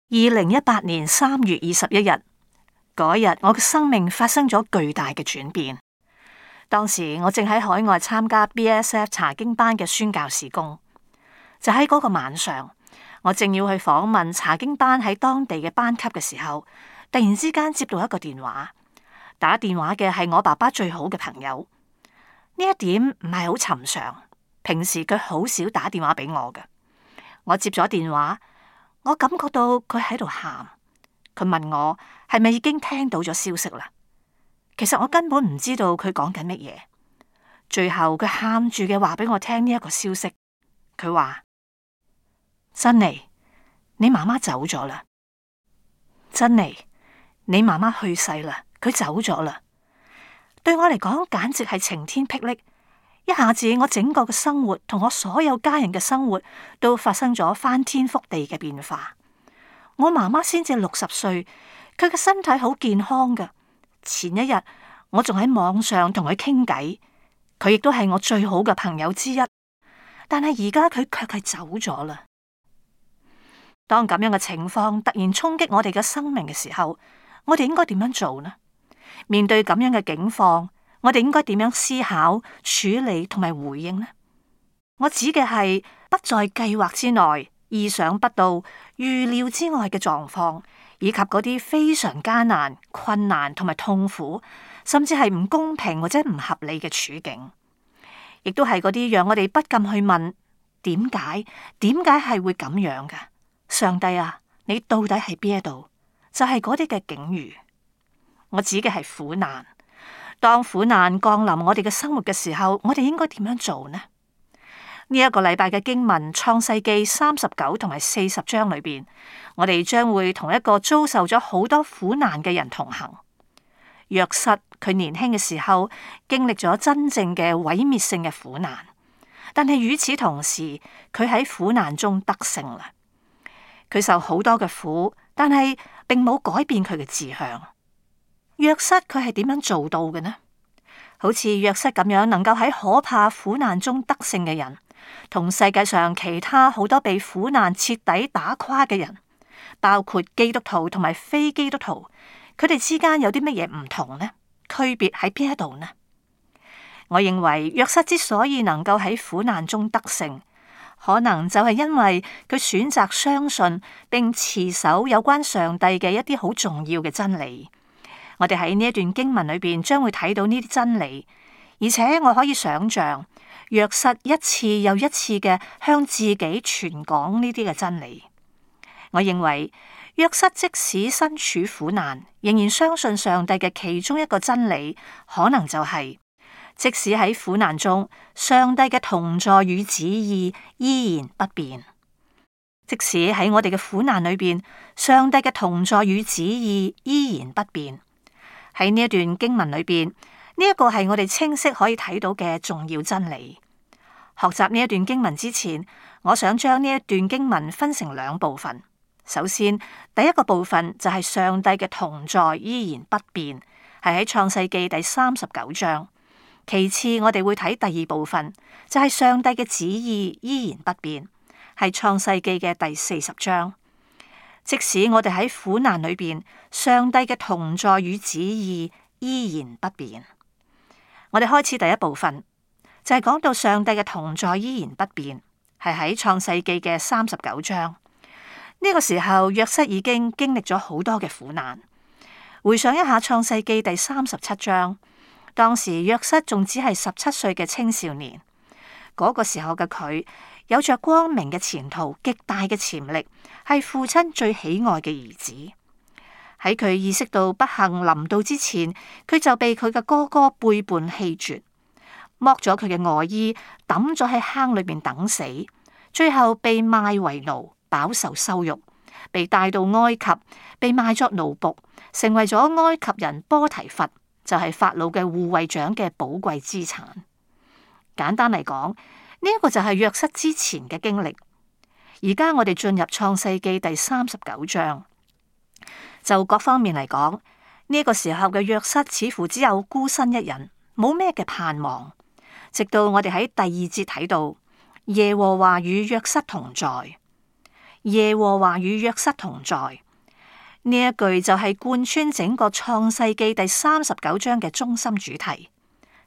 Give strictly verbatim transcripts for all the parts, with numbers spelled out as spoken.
二零一八年三月二十一日嗰日，我嘅生命發生咗巨大嘅轉變。當時我正喺海外參加 B S F 查經班嘅宣教事工，就喺嗰個晚上，我正要去訪問查經班喺當地嘅班級嘅時候，突然之間接到一個電話，打電話嘅係我爸爸最好嘅朋友。呢一點唔係好尋常，平時佢好少打電話俾我嘅。我接咗電話，我感覺到佢喺度喊，佢問我係咪已經聽到咗消息啦？其實我根本唔知道佢講緊乜嘢。最後佢喊住嘅話俾我聽呢一個消息，佢話：珍妮，你媽媽走咗啦。珍妮，你媽媽去世啦，佢走咗啦。對我嚟講，簡直係晴天霹靂。一下子，我整個嘅生活同我所有家人嘅生活都發生咗翻天覆地嘅變化。我媽媽先至六十歲，佢嘅身體好健康噶。前一日我仲喺網上同佢傾偈，佢亦都係我最好嘅朋友之一。但係而家佢卻係走咗啦。當咁樣嘅情況突然衝擊我哋嘅生命嘅時候，我哋應該點樣做呢？面對咁樣嘅境況，我哋應該點樣思考、處理同埋回應呢？我指嘅係不在計劃之內、意想不到、預料之外嘅狀況，以及嗰啲非常艱難、困難同埋痛苦，甚至係唔公平或者唔合理嘅處境，亦都係嗰啲讓我哋不禁去問：點解？點解係會咁樣㗎？上帝啊，你到底喺邊一度？就係嗰啲嘅境遇。我指嘅係苦難。當苦難降臨我哋嘅生活嘅時候，我哋應該點樣做呢？呢、這、一個禮拜嘅經文《創世記》三十九同埋四十章裏邊，我哋將會同一個遭受咗好多苦難嘅人同行。約瑟佢年輕嘅時候經歷咗真正嘅毀滅性嘅苦難，但係與此同時，佢喺苦難中得勝啦。佢受好多嘅苦，但係並冇改變佢嘅志向。約瑟佢係點樣做到嘅呢？好似約瑟咁樣，能夠喺可怕苦難中得勝嘅人，同世界上其他好多被苦難徹底打垮嘅人，包括基督徒同埋非基督徒，佢哋之間有啲乜嘢唔同呢？區別喺邊一度呢？我認為約瑟之所以能夠喺苦難中得勝，可能就係因為佢選擇相信並持守有關上帝嘅一啲好重要嘅真理。我哋喺呢一段經文裏邊將會睇到呢啲真理，而且我可以想象約瑟一次又一次嘅向自己傳講呢啲嘅真理。我認為約瑟即使身處苦難，仍然相信上帝嘅其中一個真理，可能就係、是、即使喺苦難中，上帝嘅同在與旨意依然不變。即使喺我哋嘅苦難裏邊，上帝嘅同在與旨意依然不變。喺呢一段經文裏邊，呢一個係我哋清晰可以睇到嘅重要真理。學習呢一段經文之前，我想將呢一段經文分成兩部分。首先，第一個部分就係上帝嘅同在依然不變，係喺創世記第三十九章。其次，我哋會睇第二部分，就係上帝嘅旨意依然不變，係創世記嘅第四十章。即使我哋喺苦難裏邊，上帝嘅同在與旨意依然不變。我哋開始第一部分，就係講到上帝嘅同在依然不變，係喺創世記嘅三十九章。呢個時候，約瑟已經經歷咗好多嘅苦難。回想一下創世記第三十七章，當時約瑟仲只係十七歲嘅青少年，嗰個時候嘅佢有着光明嘅前途、極大嘅潛力，係父親最喜愛嘅兒子。喺佢意識到不幸臨到之前，佢就被佢嘅哥哥背叛棄絕，剝咗佢嘅外衣，抌咗喺坑裏面等死，最後被賣為奴，飽受羞辱，被帶到埃及，被賣作奴僕，成為咗埃及人波提乏，就係法老嘅護衛長嘅寶貴資產。簡單嚟講，呢一個就係約瑟之前嘅經歷。而家我哋進入創世記第三十九章，就各方面嚟講，呢個時候嘅約瑟似乎只有孤身一人，冇咩嘅盼望。直到我哋喺第二節睇到耶和華與約瑟同在，耶和華與約瑟同在。呢一句就係貫穿整個創世記第三十九章嘅中心主題。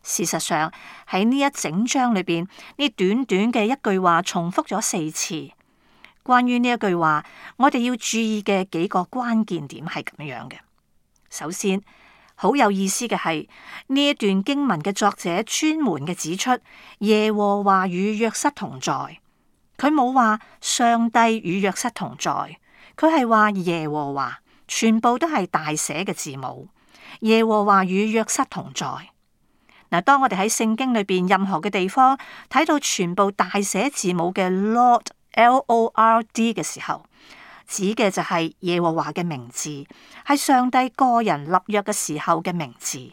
事實上喺呢一整章裏邊，呢短短嘅一句話重複咗四次。關於呢一句話，我哋要注意嘅幾個關鍵點係咁樣嘅。首先，好有意思嘅係呢一段經文嘅作者專門嘅指出耶和華與約瑟同在，佢冇話上帝與約瑟同在，佢係話耶和華。全部都係大寫嘅字母，耶和華與約瑟同在。嗱，當我哋喺聖經裏邊任何嘅地方睇到全部大寫字母嘅 Lord L O R D 嘅時候，指嘅就係耶和華嘅名字，係上帝個人立約嘅時候嘅名字。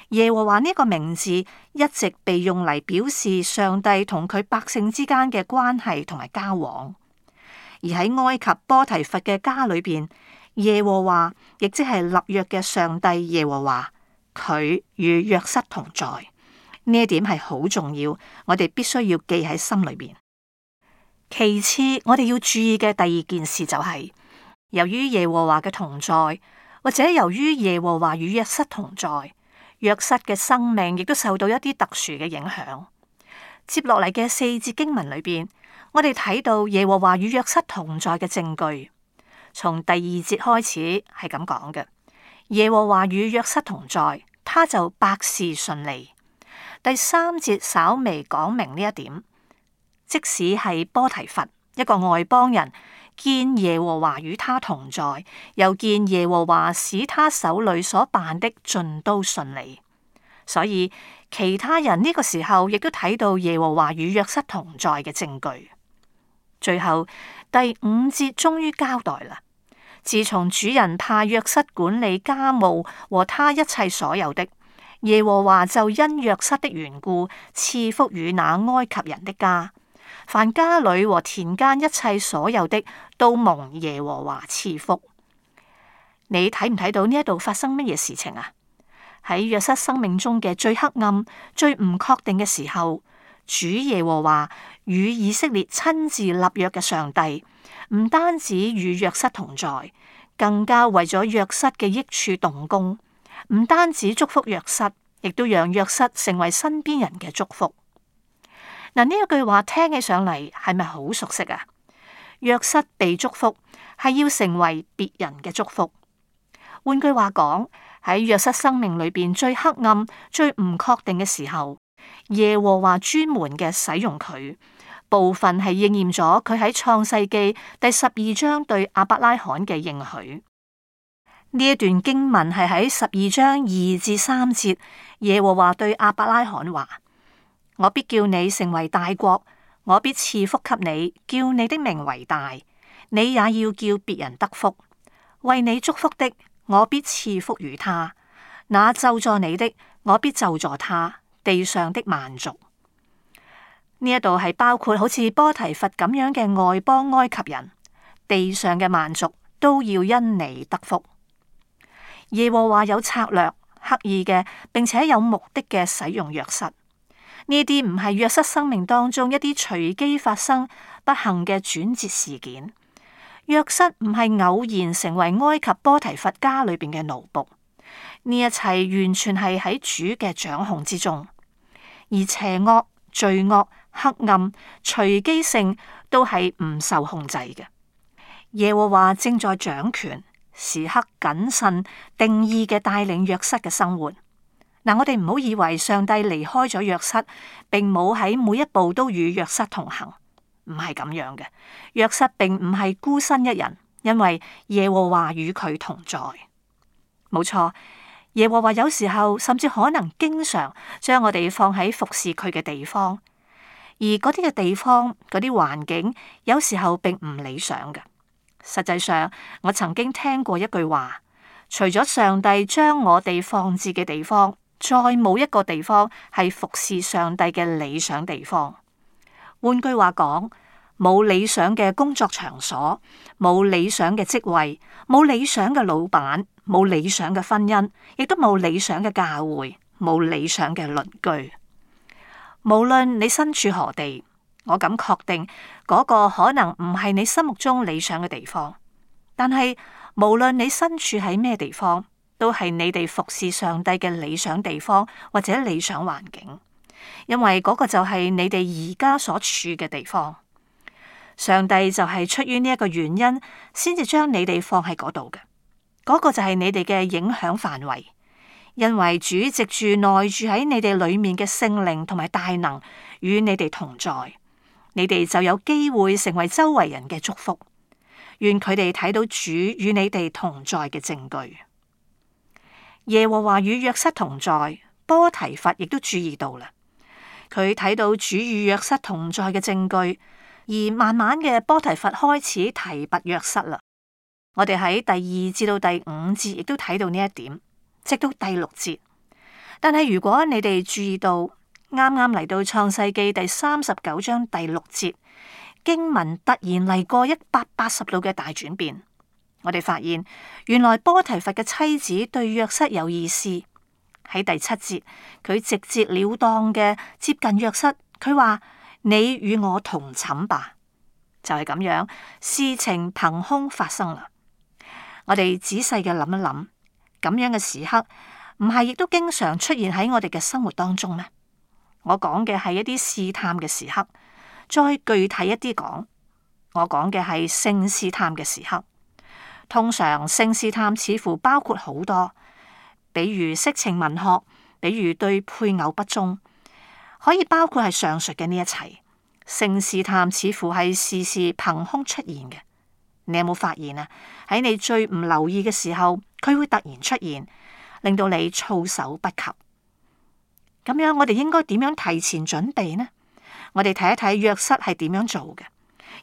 耶和華呢個名字一直被用嚟表示上帝同佢百姓之間嘅關係同埋交往，而喺埃及波提乏嘅家裏邊，耶和華亦即係立約嘅上帝耶和華，佢與約瑟同在。呢一點係好重要，我哋必須要記喺心裏邊。其次，我哋要注意嘅第二件事就係、是，由於耶和華嘅同在，或者由於耶和華與約瑟同在，約瑟嘅生命亦都受到一啲特殊嘅影響。接落嚟嘅四節經文裏邊，我哋睇到耶和華與約瑟同在嘅證據。從第二節開始係咁講嘅，耶和華與約瑟同在，他就百事順利。第三節稍微講明呢一點，即使係波提乏一個外邦人，見耶和華與他同在，又見耶和華使他手裏所辦的盡都順利，所以其他人呢個時候亦都睇到耶和華與約瑟同在嘅證據。最後第五節終於交代啦。自從主人派約瑟管理家務和他一切所有的，耶和華就因約瑟的緣故賜福與那埃及人的家，凡家裏和田間一切所有的都蒙耶和華賜福。你睇唔睇到呢一度發生乜嘢事情啊？喺約瑟生命中嘅最黑暗、最唔確定嘅時候，主耶和華與以色列親自立約嘅上帝，唔單止與約瑟同在，更加為咗約瑟嘅益處動工。唔單止祝福約瑟，亦都讓約瑟成為身邊人嘅祝福。嗱，呢一句話聽起上嚟係咪好熟悉啊？約瑟被祝福係要成為別人嘅祝福。換句話講，喺約瑟生命裏邊最黑暗、最唔確定嘅時候，耶和華專門嘅使用佢。部分係應驗咗佢喺創世記第十二章對亞伯拉罕嘅應許。呢一段經文係喺十二章二至三節，耶和華對亞伯拉罕話：我必叫你成為大國，我必賜福給你，叫你的名為大，你也要叫別人得福。為你祝福的，我必賜福於他；那咒詛你的，我必咒詛他。地上的萬族。呢一度係包括好似波提乏咁樣嘅外邦埃及人，地上嘅萬族都要因你得福。耶和華有策略、刻意嘅，並且有目的嘅使用約瑟。呢啲唔係約瑟生命當中一啲隨機發生不幸嘅轉折事件。約瑟唔係偶然成為埃及波提乏家裏邊嘅奴僕，呢一切完全係喺主嘅掌控之中，而邪惡、罪惡、黑暗、隨機性都係唔受控制嘅。耶和華正在掌權，時刻謹慎定意嘅帶領約瑟嘅生活。嗱，我哋唔好以為上帝離開咗約瑟，並冇喺每一步都與約瑟同行，唔係咁樣嘅。約瑟並唔係孤身一人，因為耶和華與佢同在。冇錯，耶和華有時候甚至可能經常將我哋放喺服侍佢嘅地方。而嗰啲嘅地方，嗰啲環境，有時候並唔理想嘅。實際上，我曾經聽過一句話：除咗上帝將我哋放置嘅地方，再冇一個地方係服侍上帝嘅理想地方。換句話講，冇理想嘅工作場所，冇理想嘅職位，冇理想嘅老闆，冇理想嘅婚姻，亦都冇理想嘅教會，冇理想嘅鄰居。無論你身處何地，我敢確定嗰個可能唔係你心目中理想嘅地方，但係無論你身處喺咩地方，都係你哋服侍上帝嘅理想地方或者理想環境，因為嗰個就係你哋而家所處嘅地方。上帝就係出於呢一個原因，先至將你哋放喺嗰度嘅，嗰個就係你哋嘅影響範圍。因為主藉住內住喺你哋裏面嘅聖靈同埋大能與你哋同在，你哋就有機會成為周圍人嘅祝福。願佢哋睇到主與你哋同在嘅證據。耶和華與約瑟同在，波提乏亦都注意到啦。佢睇到主與約瑟同在嘅證據，而慢慢嘅波提乏開始提拔約瑟啦。我哋喺第二至到第五節亦都睇到呢一點。直到第六節，但係如果你哋注意到啱啱嚟到創世記第三十九章第六節，經文突然嚟過一百八十度嘅大轉變。我哋發現原來波提乏嘅妻子對約瑟有意思。喺第七節，佢直截了當嘅接近約瑟，佢話：你與我同寢吧。就係咁樣，事情憑空發生啦。我哋仔細嘅諗一諗。咁樣嘅時刻，唔係亦都經常出現喺我哋嘅生活當中咩？我講嘅係一啲試探嘅時刻，再具體一啲講，我講嘅係性試探嘅時刻。通常性試探似乎包括好多，比如色情文學，比如對配偶不忠，可以包括係上述嘅呢一切。性試探似乎係時時憑空出現嘅。你有冇發現啊？喺你最唔留意嘅時候，佢會突然出現，令到你措手不及。咁樣我哋應該點樣提前準備呢？我哋睇一睇約瑟係點樣做嘅，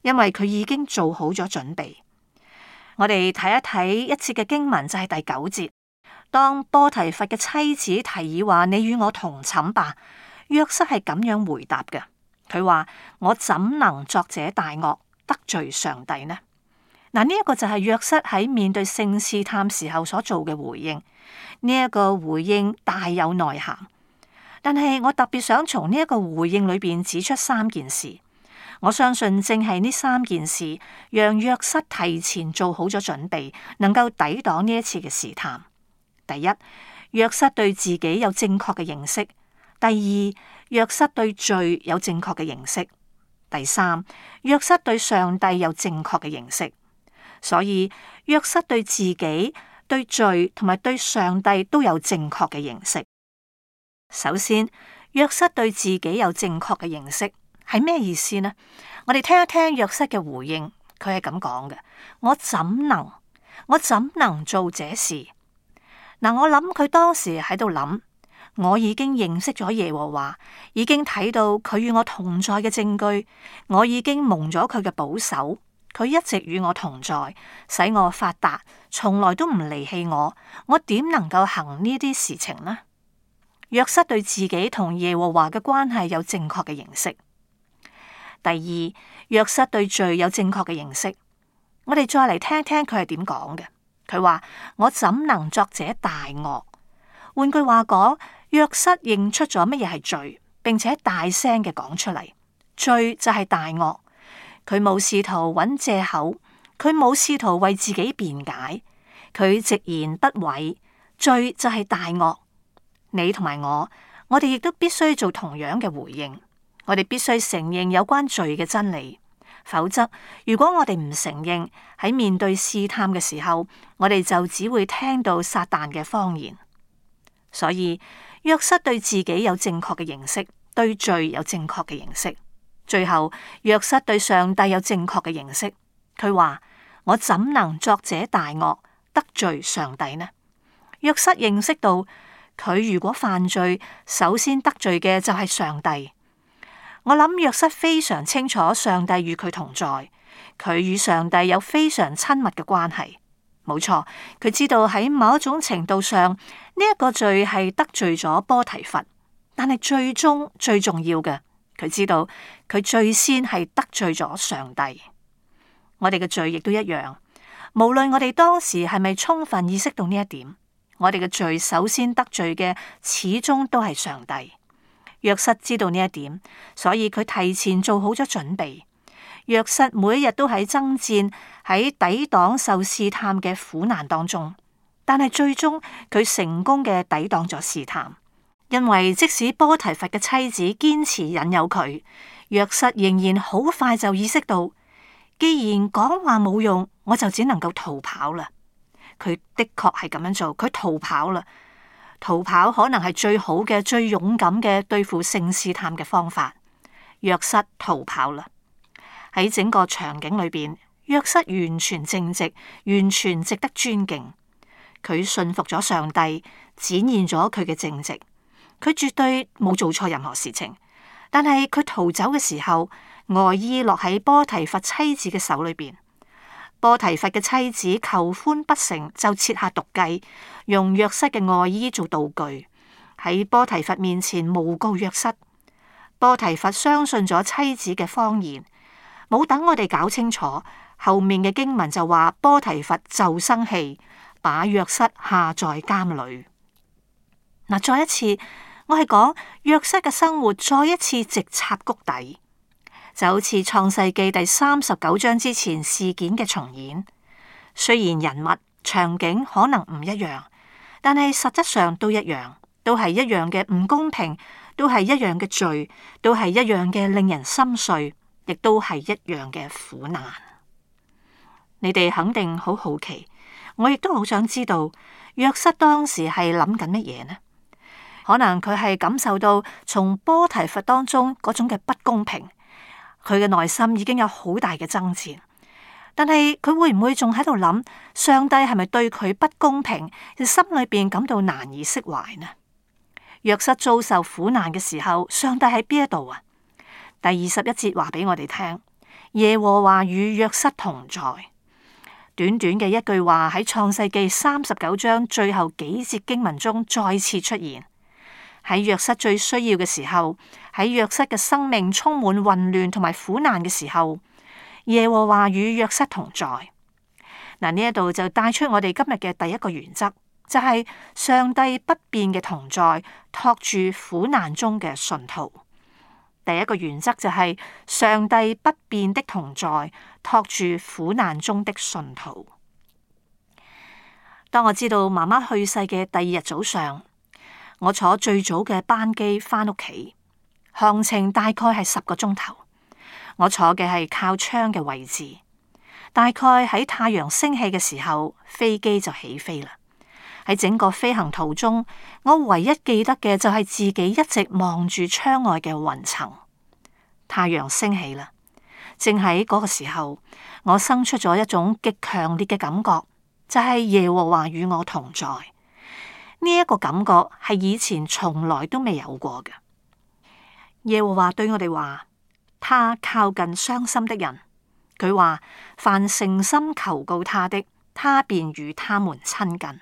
因為佢已經做好咗準備。我哋睇一睇一節嘅經文就係第九節，當波提乏嘅妻子提議話：你與我同寢吧。約瑟係咁樣回答嘅，佢話：我怎能作這大惡，得罪上帝呢？嗱，呢一個就係約瑟喺面對性試探時候所做嘅回應。呢、這、一個回應大有內涵，但係我特別想從呢一個回應裏邊指出三件事。我相信正係呢三件事，讓約瑟提前做好咗準備，能夠抵擋呢一次嘅試探。第一，約瑟對自己有正確嘅認識；第二，約瑟對罪有正確嘅認識；第三，約瑟對上帝有正確嘅認識。所以約瑟對自己、對罪同埋對上帝都有正確嘅認識。首先，約瑟對自己有正確嘅認識係咩意思呢？我哋聽一聽約瑟嘅回應，佢係咁講嘅：我怎能，我怎能做這事？嗱，我諗佢當時喺度諗，我已經認識咗耶和華，已經睇到佢與我同在嘅證據，我已經蒙咗佢嘅保守。佢一直與我同在，使我發達，從來都唔離棄我。我點能夠行呢啲事情呢？約瑟對自己同耶和華嘅關係有正確嘅認識。第二，約瑟對罪有正確嘅認識。我哋再嚟聽一聽佢係點講嘅。佢話：我怎能作這大惡？換句話講，約瑟認出咗乜嘢係罪，並且大聲嘅講出嚟。罪就係大惡。佢冇試圖揾借口，佢冇試圖為自己辯解，佢直言不諱。罪就係大惡。你同埋我，我哋亦都必須做同樣嘅回應。我哋必須承認有關罪嘅真理，否則如果我哋唔承認，喺面對試探嘅時候，我哋就只會聽到撒旦嘅謊言。所以約瑟對自己有正確嘅認識，對罪有正確嘅認識。最後，約瑟對上帝有正確嘅認識。佢話：我怎能作這大惡，得罪上帝呢？約瑟認識到，佢如果犯罪，首先得罪嘅就係上帝。我諗約瑟非常清楚上帝與佢同在，佢與上帝有非常親密嘅關係。冇錯，佢知道喺某一種程度上，呢一個罪係得罪咗波提乏，但係最終最重要嘅。佢知道佢最先係得罪咗上帝。我哋嘅罪亦都一樣，無論我哋當時係咪充分意識到呢一點，我哋嘅罪首先得罪嘅始終都係上帝。約瑟知道呢一點，所以佢提前做好咗準備。約瑟每一日都喺爭戰，喺抵擋受試探嘅苦難當中，但係最終佢成功嘅抵擋咗試探。因為即使波提乏嘅妻子堅持引誘佢，約瑟仍然好快就意識到，既然講話冇用，我就只能夠逃跑啦。佢的確係咁樣做，佢逃跑啦。逃跑可能係最好嘅、最勇敢嘅對付性試探嘅方法。約瑟逃跑啦。喺整個場景裏邊，約瑟完全正直，完全值得尊敬。佢信服咗上帝，展現咗佢嘅正直。佢絕對冇做錯任何事情，但係佢逃走嘅時候，外衣落喺波提乏妻子嘅手裏邊。波提乏嘅妻子求歡不成，就設下毒計，用約瑟嘅外衣做道具，喺波提乏面前誣告約瑟。波提乏相信咗妻子嘅謊言，冇等我哋搞清楚，後面嘅經文就話波提乏就生氣，把約瑟下在監裏。嗱，再一次。我係講約瑟嘅生活再一次直插谷底，就好似創世記第三十九章之前事件嘅重演。雖然人物場景可能唔一樣，但係實質上都一樣，都係一樣嘅唔公平，都係一樣嘅罪，都係一樣嘅令人心碎，亦都係一樣嘅苦難。你哋肯定好好奇，我亦都好想知道約瑟當時係諗緊乜嘢呢？可能佢係感受到從波提乏當中嗰種嘅不公平，佢嘅內心已經有好大嘅爭戰。但係佢會唔會仲喺度諗上帝係咪對佢不公平？心裏邊感到難以釋懷呢？約瑟遭受苦難嘅時候，上帝喺邊一度啊？第二十一節話俾我哋聽，耶和華與約瑟同在。短短嘅一句話喺創世記三十九章最後幾節經文中再次出現。喺約瑟最需要嘅時候，喺約瑟嘅生命充滿混亂同埋苦難嘅時候，耶和華與約瑟同在。嗱，呢一度就帶出我哋今日嘅第一個原則，就係上帝不變嘅同在，托住苦難中嘅信徒。第一個原則就係上帝不變的同在，托住苦難中的信徒。當我知道媽媽去世嘅第二日早上，我坐最早嘅班機返屋企，航程大概係十個鐘頭。我坐嘅係靠窗嘅位置，大概喺太陽升起嘅時候，飛機就起飛啦。喺整個飛行途中，我唯一記得嘅就係自己一直望住窗外嘅雲層。太陽升起啦，正喺嗰個時候，我生出咗一種極強烈嘅感覺，就係耶和華與我同在。呢一個感覺係以前從來都未有過嘅。耶和華對我哋話，他靠近傷心的人。佢話，凡誠心求告他的，他便與他們親近。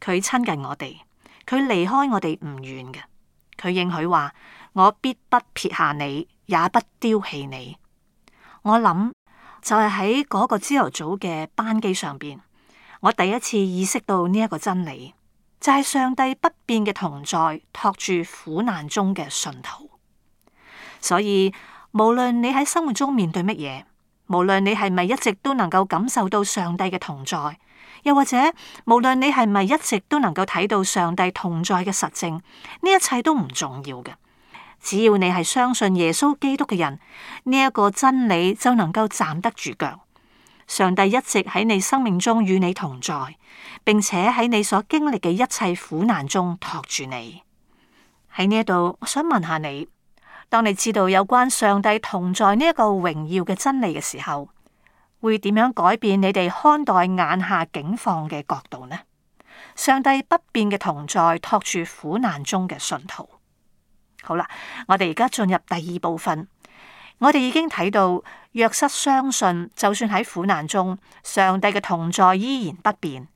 佢親近我哋，佢離開我哋唔遠嘅。佢應許話，我必不撇下你，也不丟棄你。我諗就係喺嗰個朝頭早嘅班機上邊，我第一次意識到呢一個真理。就係上帝不變嘅同在，托住苦難中嘅信徒。所以無論你喺生活中面對乜嘢，無論你係咪一直都能夠感受到上帝嘅同在，又或者無論你係咪一直都能夠睇到上帝同在嘅實證，呢一切都唔重要嘅。只要你係相信耶穌基督嘅人，呢一個真理就能夠站得住腳。上帝一直喺你生命中與你同在，並且喺你所經歷嘅一切苦難中托住你。喺呢一度，我想問下你，當你知道有關上帝同在呢一個榮耀嘅真理嘅時候，會點樣改變你哋看待眼下境況嘅角度呢？上帝不變嘅同在，托住苦難中嘅信徒。好啦，我哋而家進入第二部分。我哋已經睇到約瑟相信，就算喺苦難中，上帝嘅同在依然不變。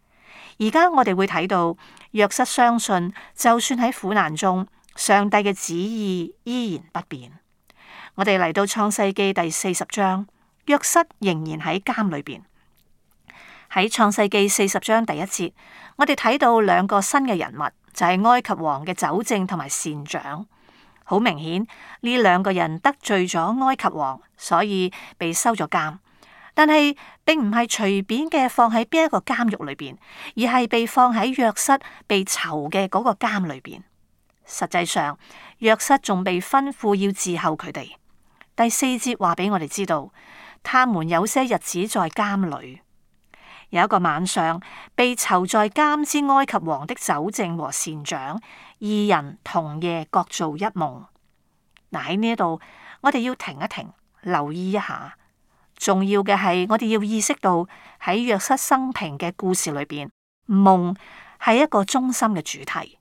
而家我哋會睇到約瑟相信，就算喺苦難中，上帝嘅旨意依然不變。我哋嚟到創世記第四十章，約瑟仍然喺監裏邊。喺創世記四十章第一節，我哋睇到兩個新嘅人物，就係埃及王嘅酒政同埋善長。好明顯，呢兩個人得罪咗埃及王，所以被收咗監。但係並唔係隨便嘅放喺邊一個監獄裏邊，而係被放喺約瑟被囚嘅嗰個監裏邊。實際上，約瑟仲被吩咐要伺候佢哋。第四節話俾我哋知道，他們有些日子在監裏。有一個晚上，被囚在監之埃及王的酒政和膳長二人同夜各做一夢。嗱，喺呢一度，我哋要停一停，留意一下。重要嘅係，我哋要意識到喺約瑟生平嘅故事裏邊，夢係一個中心嘅主題。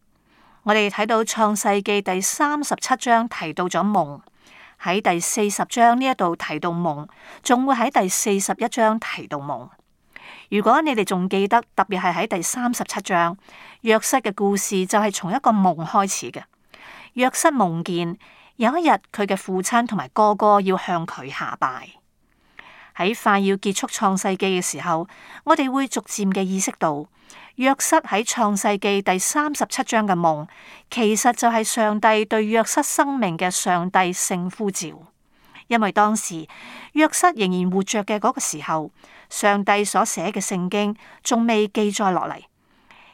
我哋睇到創世記第三十七章提到咗夢，喺第四十章呢一度提到夢，仲會喺第四十一章提到夢。如果你哋仲記得，特別係喺第三十七章，約瑟嘅故事就係從一個夢開始嘅。約瑟夢見有一日佢嘅父親同埋哥哥要向佢下拜。喺快要結束創世記嘅時候，我哋會逐漸嘅意識到，約瑟喺創世記第三十七章嘅夢，其實就係上帝對約瑟生命嘅上帝性呼召。因為當時約瑟仍然活着嘅嗰個時候，上帝所寫嘅聖經仲未記載落嚟。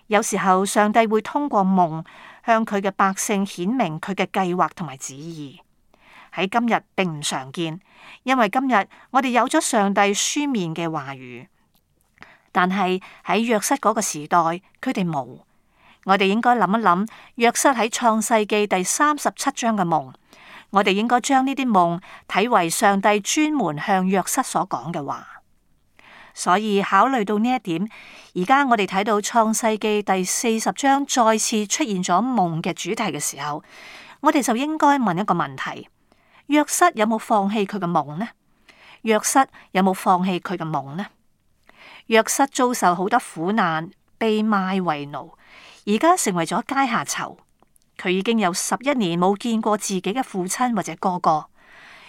有時候上帝會通過夢向佢嘅百姓顯明佢嘅計劃同埋旨意。喺今日並唔常見，因為今日我哋有咗上帝書面嘅話語，但係喺約瑟嗰個時代，佢哋冇。我哋應該諗一諗約瑟喺創世記第三十七章嘅夢，我哋應該將呢啲夢睇為上帝專門向約瑟所講嘅話。所以考慮到呢一點，而家我哋睇到創世記第四十章再次出現咗夢嘅主題嘅時候，我哋就應該問一個問題：約瑟有冇放棄佢嘅夢呢？約瑟有冇放棄佢嘅夢呢？約瑟遭受好多苦難，被賣為奴，而家成為咗階下囚。佢已經有十一年冇見過自己嘅父親或者哥哥。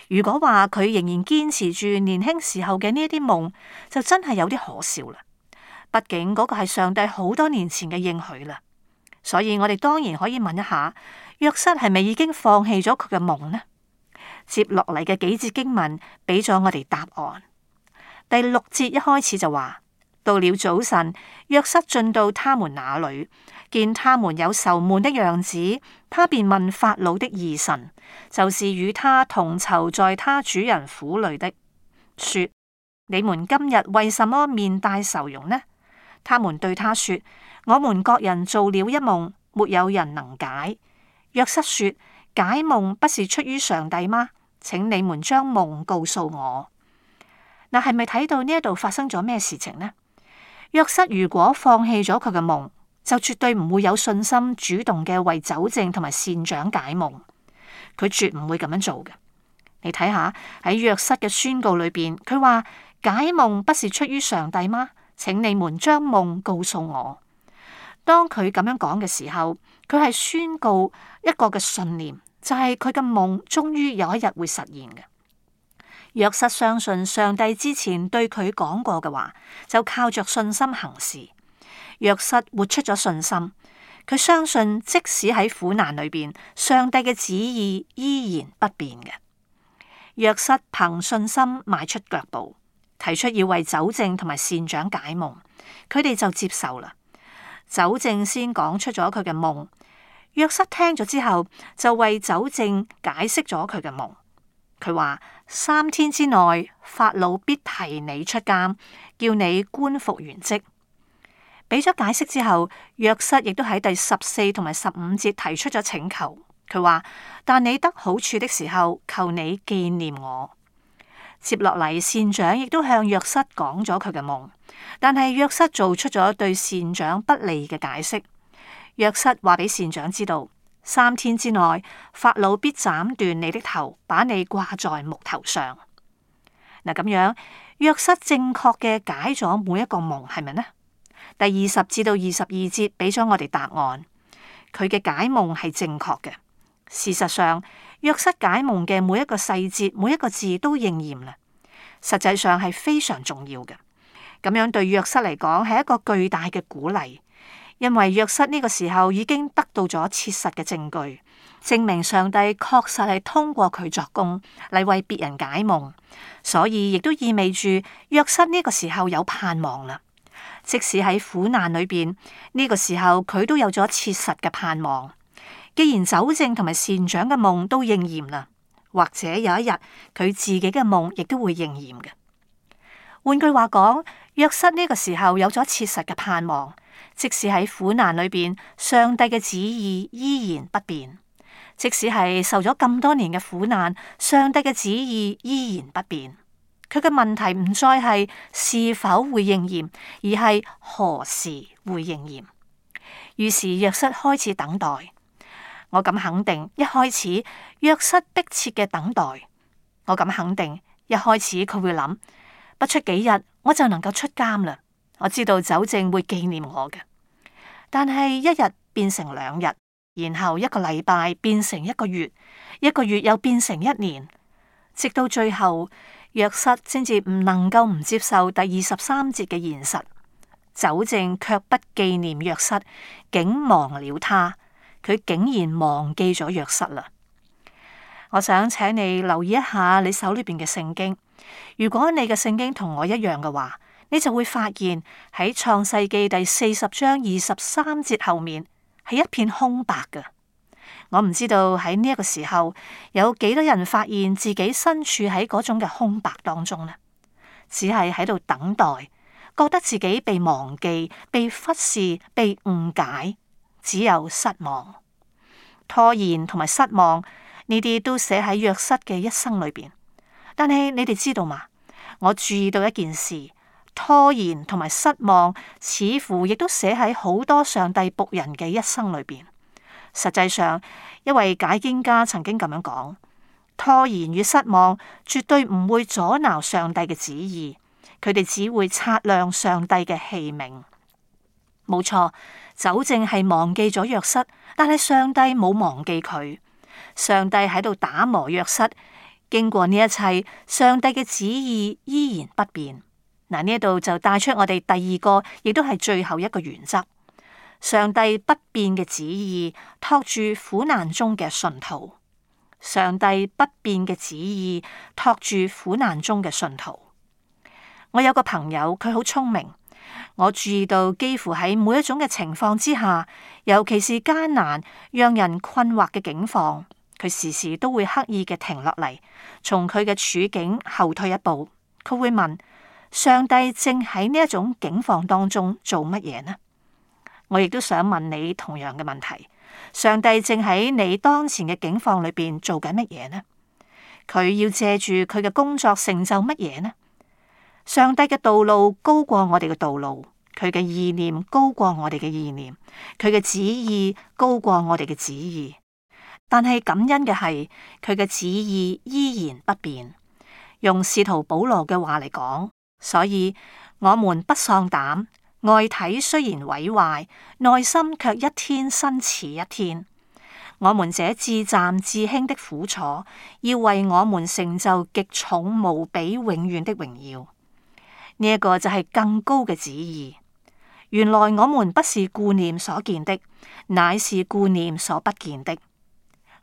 如果話佢仍然堅持住年輕時候嘅呢一啲夢，就真係有啲可笑啦。畢竟嗰個係上帝好多年前嘅應許啦。所以我哋當然可以問一下，約瑟係咪已經放棄咗佢嘅夢呢？接落嚟嘅幾節經文俾咗我哋答案。第六節一開始就話，到了早晨，約瑟進到他們那裏，見他們有愁悶的樣子，他便問法老的二臣，就是與他同囚在他主人府裏的，說：你們今日為什麼面帶愁容呢？他們對他說：我們各人做了一夢，沒有人能解。約瑟說：解夢不是出於上帝嗎？請你們將夢告訴我。嗱，係咪睇到呢一度發生咗咩事情呢？約瑟如果放棄咗佢嘅夢，就絕對唔會有信心主動嘅為酒政同埋膳長解夢。佢絕唔會咁樣做嘅。你睇下喺約瑟嘅宣告裏邊，佢話：解夢不是出於上帝嗎？請你們將夢告訴我。當佢咁樣講嘅時候，佢係宣告一個嘅信念。就係佢嘅夢終於有一日會實現嘅。約瑟相信上帝之前對佢講過嘅話，就靠着信心行事。約瑟活出咗信心，佢相信即使喺苦難裏邊，上帝嘅旨意依然不變嘅。約瑟憑信心邁出腳步，提出要為酒政同埋膳長解夢，佢哋就接受啦。酒政先講出咗佢嘅夢。約瑟聽咗之後，就為酒政解釋咗佢嘅夢。佢話：三天之內，法老必提你出監，叫你官復原職。俾咗解釋之後，約瑟亦都喺第十四同埋十五節提出咗請求。佢話：但你得好處的時候，求你紀念我。接落嚟，膳長亦都向約瑟講咗佢嘅夢，但係約瑟做出咗對膳長不利嘅解釋。約瑟話俾膳長知道，三天之內，法老必斬斷你的頭，把你掛在木頭上。嗱，咁樣約瑟正確嘅解咗每一個夢，係咪呢？第二十至到二十二節俾咗我哋答案，佢嘅解夢係正確嘅。事實上，約瑟解夢嘅每一個細節、每一個字都應驗啦。實際上係非常重要嘅。咁樣對約瑟嚟講係一個巨大嘅鼓勵。因為約瑟呢個時候已經得到咗切實嘅證據，證明上帝確實係通過佢作工嚟為別人解夢，所以亦都意味住約瑟呢個時候有盼望啦。即使喺苦難裏邊，呢個時候佢都有咗切實嘅盼望。既然酒政同埋善長嘅夢都應驗啦，或者有一日佢自己嘅夢亦都會應驗嘅。換句話講，約瑟呢個時候有咗切實嘅盼望，即使喺苦難裏邊，上帝嘅旨意依然不變。即使係受咗咁多年嘅苦難，上帝嘅旨意依然不變。佢嘅問題唔再係是否會應驗，而係何時會應驗。於是約瑟開始等待。我敢肯定，一開始約瑟迫切嘅等待。我敢肯定，一開始佢會諗，不出幾日我就能夠出監啦。我知道酒政會紀念我嘅。但係一日變成兩日。然後一個禮拜變成一個月，一個月又變成一年，直到最後，約瑟先至唔能夠唔接受第二十三節嘅現實。酒政卻不紀念約瑟，竟忘了他，佢竟然忘記咗約瑟啦。我想請你留意一下你手裏邊嘅聖經，如果你嘅聖經同我一樣嘅話，你就會發現喺創世記第四十章二十三節後面，係一片空白嘅。我唔知道喺呢一個時候有幾多人發現自己身處喺嗰種嘅空白當中呢？只係喺度等待，覺得自己被忘記、被忽視、被誤解，只有失望、拖延同埋失望，呢啲都寫喺約瑟嘅一生裏邊。但係你哋知道嗎？我注意到一件事。拖延同埋失望，似乎亦都寫喺好多上帝僕人嘅一生裏邊。實際上，一位解經家曾經咁樣講：拖延與失望絕對唔會阻撓上帝嘅旨意，佢哋只會擦亮上帝嘅器皿。冇錯，酒政係忘記咗約瑟，但係上帝冇忘記佢。上帝喺度打磨約瑟，經過呢一切，上帝嘅旨意依然不變。嗱，呢一度就帶出我哋第二個，亦都係最後一個原則：上帝不變嘅旨意托住苦難中嘅信徒。上帝不變嘅旨意托住苦難中嘅信徒。我有個朋友，佢好聰明。我注意到，幾乎喺每一種嘅情況之下，尤其是艱難、讓人困惑嘅境況，佢時時都會刻意嘅停落嚟，從佢嘅處境後退一步。佢會問：上帝正喺呢一種境況當中做乜嘢呢？我亦都想問你同樣嘅問題：上帝正喺你當前嘅境況裏邊做緊乜嘢呢？佢要借住佢嘅工作成就乜嘢呢？上帝嘅道路高過我哋嘅道路，佢嘅意念高過我哋嘅意念，佢嘅旨意高過我哋嘅旨意。但係感恩嘅係，佢嘅旨意依然不變。用使徒保羅嘅話嚟講，所以我們不喪膽，外體雖然毀壞，內心卻一天新似一天。我們這至暫至輕的苦楚，要為我們成就極重無比永遠的榮耀。呢、這、一個就係更高嘅旨意。原來我們不是顧念所見的，乃是顧念所不見的。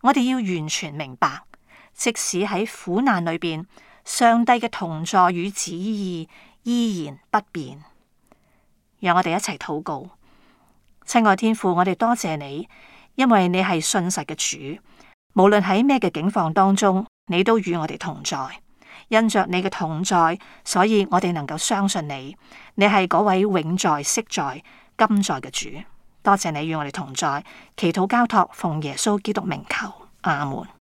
我哋要完全明白，即使喺苦難裏邊，上帝嘅同在與旨意依然不變。讓我哋一齊禱告。親愛天父，我哋多謝你，因為你係信實嘅主，無論喺咩嘅境況當中，你都與我哋同在。因着你嘅同在，所以我哋能夠相信你，你係嗰位永在、昔在、今在嘅主。多謝你與我哋同在，祈禱交託，奉耶穌基督名求，阿門。